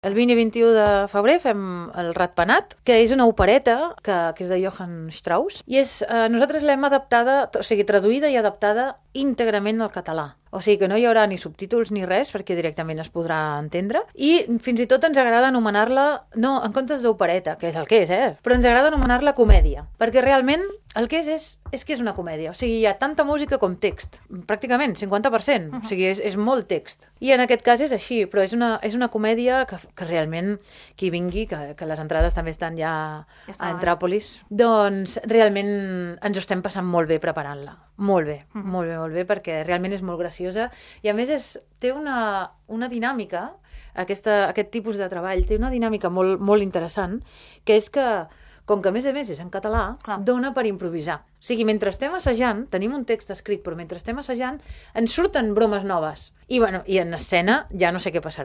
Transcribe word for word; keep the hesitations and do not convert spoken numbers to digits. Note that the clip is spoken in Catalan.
El vint i vint-i-u de febrer fem el Ratpenat, que és una opereta que, que és de Johann Strauss, i és, eh, nosaltres l'hem adaptada, o sigui, traduïda i adaptada íntegrament al català. O sigui que no hi haurà ni subtítols ni res, perquè directament es podrà entendre. I fins i tot ens agrada anomenar-la, no, en comptes d'opereta, que és el que és, eh? Però ens agrada anomenar-la comèdia, perquè realment el que és, és, és que és una comèdia. O sigui, hi ha tanta música com text, pràcticament, cinquanta per cent. Uh-huh. O sigui, és, és molt text. I en aquest cas és així, però és una, és una comèdia que, que realment qui vingui, que, que les entrades també estan ja, ja a Entràpolis, doncs realment ens ho estem passant molt bé preparant-la. Molt bé, uh-huh. molt bé, molt bé, perquè realment és molt graciosa i a més és, té una, una dinàmica, aquesta, aquest tipus de treball té una dinàmica molt, molt interessant, que és que, com que a més a més és en català, clar, dona per improvisar. O sigui, mentre estem assajant, tenim un text escrit, però mentre estem assajant ens surten bromes noves. I, bueno, i en escena ja no sé què passarà.